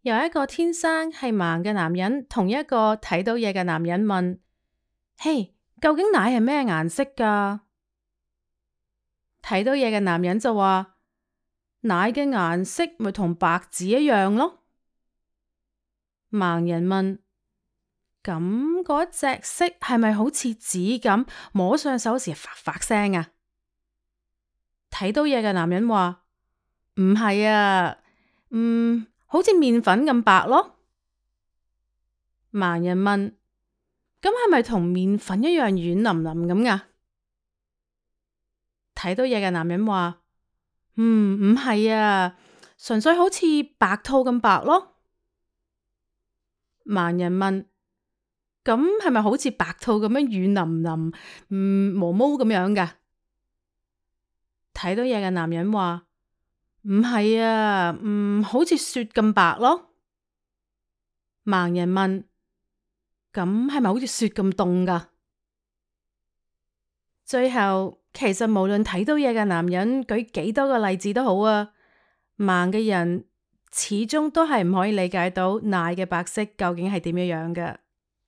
有一個天生係盲嘅男人，同一個睇到嘢嘅男人問：嘿，究竟奶係咩顏色㗎？睇到嘢嘅男人就話：奶嘅顏色咪同白紙一樣咯。盲人問：咁嗰隻色係咪好似紙咁，摸上手時發發聲啊？睇到嘢嘅男人話：唔係啊，好似麵粉咁白咯。盲人問：咁係咪同麵粉一樣軟腍腍咁㗎？睇到嘢嘅男人話：唔係啊，純粹好似白兔咁白咯。盲人問：咁係咪好似白兔咁樣軟腍腍，毛毛咁樣㗎？睇到嘢嘅男人話：唔係啊，好似雪咁白咯。盲人問：咁係咪好似雪咁凍㗎？最後，其實無論睇到嘢嘅男人舉幾多個例子都好啊，盲嘅人始終都係唔可以理解到奶嘅白色究竟係點樣樣嘅。